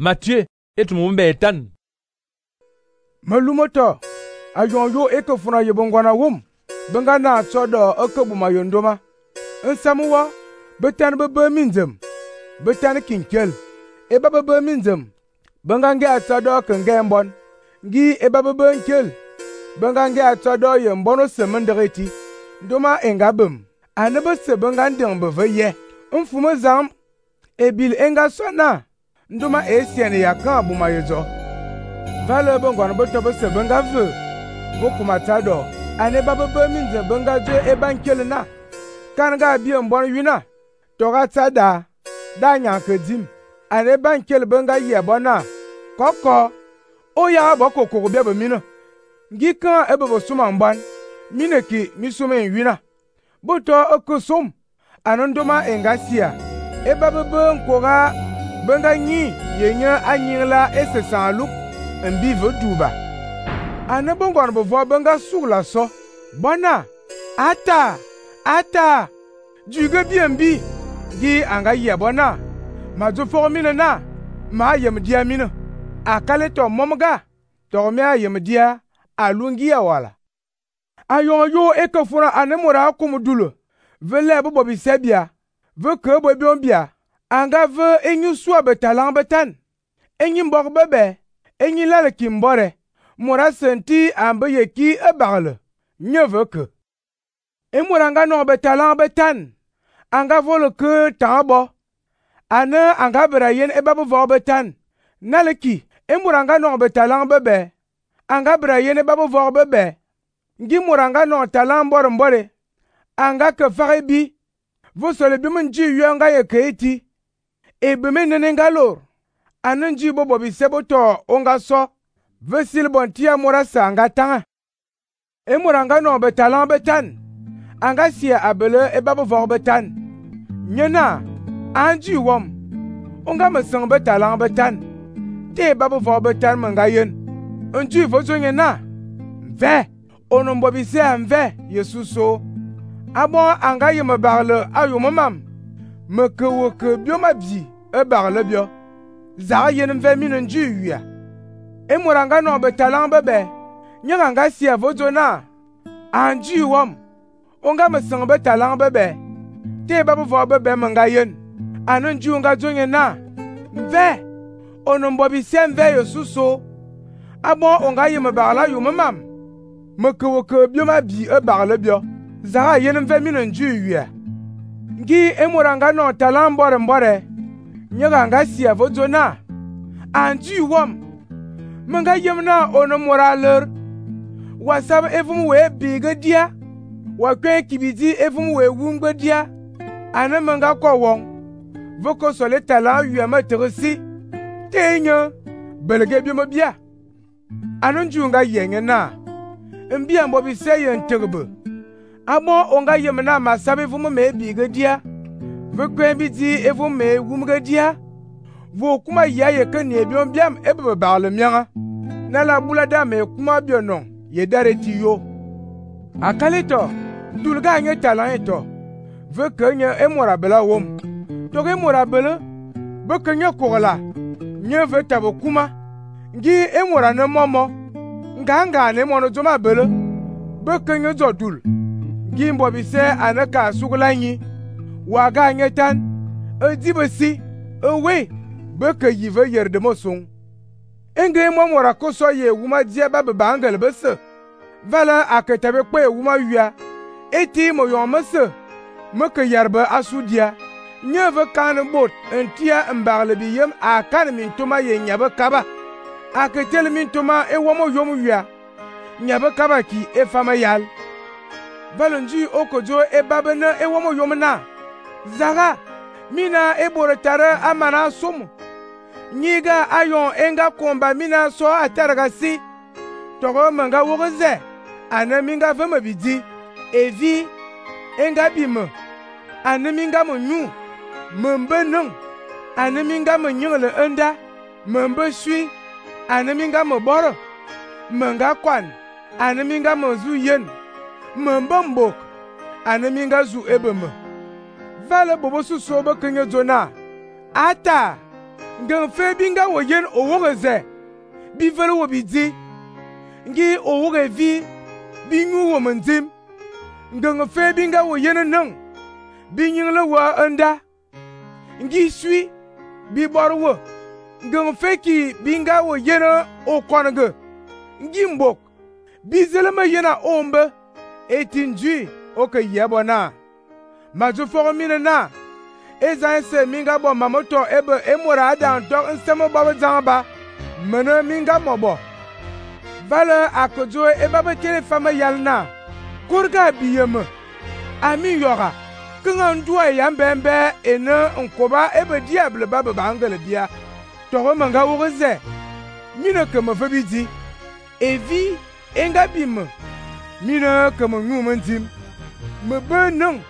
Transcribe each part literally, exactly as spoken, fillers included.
Matthieu et mu mbetan. Malumoto ayon yo e ke funa ye bongwana wum benga na tsodo e ke buma yondoma nsamuwa betan bebe minzem betan kinkel e ba bebe minzem benga nge atsodo ke nge mbon ngi e ba bebe nkel benga nge atsodo ye mbono semendreti ndoma engabem anebe se benga ndeng beve ye mfume zam ebil enga sona ndoma esiene yakan buma yezo vale bongwana beto bese benga ve bokuma tado ane ba bebe minze benga zo e bankel na kan ga bi mbon wina to ga tada da nya kedim ane bankel benga ye bona koko o ya ba kokoko be be mino ngi kan e be suma mban mine ki mi suma wina boto okusum anondoma engasia e ba bebe nkoga benga nyi yenya anyila esesa luk mbi voduba ane bongwana bevo benga sugla so bona ata ata juga biembi gi anga ye bona mazo formine na ma yem dia mino akale to momga to me ayem dia alungi ya wala ayon yo ekofura ane mora kumudulo vele bo bobi sebia ve ke bo biombia anga ve enyu swa betalang betan enyi mbok bebe enyi lale kimbore mora senti ambe yeki ebagle nyeveke e mora nga no betalang betan anga volo ke tabo ane anga bera yen e babu vo betan naleki e mora nga no betalang bebe anga bera yen e babu vo bebe ngi mora nga no talang mbore mbore anga ke fare bi vo sole bi mun ji yanga ye keiti e be menene ngalor ane nji bo bobi seboto onga so vesil bontia mora sanga tanga e mora nga no betalang betan anga sia abele e babu vo betan nyena anji wom onga mesang betalang betan te babu vo betan manga yen nji vozo nyena ve onombo bi se anve yesuso abo anga yeme bagle ayumamam meke woke bioma bi e bagle bio za yen mve mino nji wia e mora nga no betalang bebe nyanga nga sia vozo na anji wom onga mesang betalang bebe te babu vo bebe manga yen anu nji onga zonye na mve onombo bi se mve yesuso abo onga yeme bagla yumamam meke woke bioma bi e bagle bio za yen mve mino nji wia ngi e mora nga no talang mbore mbore nyanga nga sia vozo na anji wom menga yemna ono moraler wasab evum we biga dia wa kwen kibidi evum we wungbe dia ana menga ko won voko sole tala yema teresi tenyo belege bi mabia anon junga yenye na mbia mbo bi seye nterbe abo onga yemna masabe evum me biga dia vokwen bidi evum me wumga dia vo kuma yaye kan ye biom biam ebe baale mianga na la bulada me kuma bionon ye dareti yo akalito dulga nye talanto ve kenye emora bela wom to ge mora bela be kenye kola nye ve tabo kuma ngi emora ne momo nganga ne mono zoma bela be kenye zodul ngi mbo bi se anaka sugulanyi waga nye tan edibesi ewe beke yive yerde mosung enge mo mora koso ye wuma dia ba be bangal bese vala aketabe kwe wuma wia eti mo yon mese meke yarba asudia nyeve kan bot entia mbagle bi yem akan min tuma ye nyabe kaba aketel min tuma e womo yom wia nyabe kaba ki e fama yal valonji okojo e babena e womo yomna zaga mina e borotara amana sumu nyiga ayon enga komba mina so ataraga si togo manga wogoze ana minga vema bidi evi enga bime ana minga mo nyu membe nung ana minga mo nyele enda membe sui ana minga mo boro menga kwan ana minga mo zu yen membe mbok ana minga zu ebeme vale bobo su so be kenye zona ata Ngan fe binga wo yen owoge ze. Bi vele wo bi di. Ngi owoge vi bi nyu wo mendim. Ngan fe binga wo yen nang. Bi nyingle wa enda. Ngi sui bi bor wo. Ngan fe ki binga wo yen o konge. Ngi mbok. Bi zelema yena ombe. Etinjui oke yebona. Mazu fogo mine na. Ezan se minga bo mamoto ebe emora adan tok nsemo baba zamba. Mene minga mobo. Vale akojo eba be telefama yalna. Kurga biyeme. Ami yoga. Kenga ndua yambembe ene nkoba ebe diable baba bangele dia. Toro manga wogeze. Mine keme febidi. Evi enga bime. Mine keme nyumendim. Me be nung.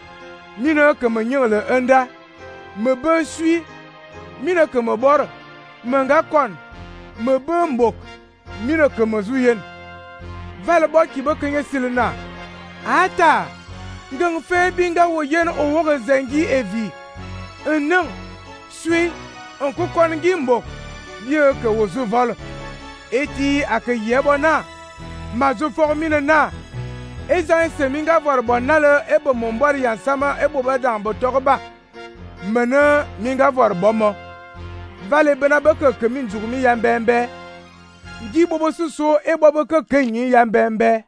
Mine keme nyele enda. Me be sui. Mine keme bor. Menga kon. Me be mbok. Mine keme zuyen. Vale bo ki be kenye silena. Ata. Ngang fe binga wo yen o woge zengi evi. Enang. Sui. Onko kon ngi mbok. Bie ke wo zu vol. Eti ake yebona. Mazu for mine na. Ezan se minga vor bonale ebo mombor yansama ebo badan botoba. Mene minga vor bomo. Vale bena beke kemin jugumi yambembe. Ngi bobo suso ebo beke kenyi yambembe.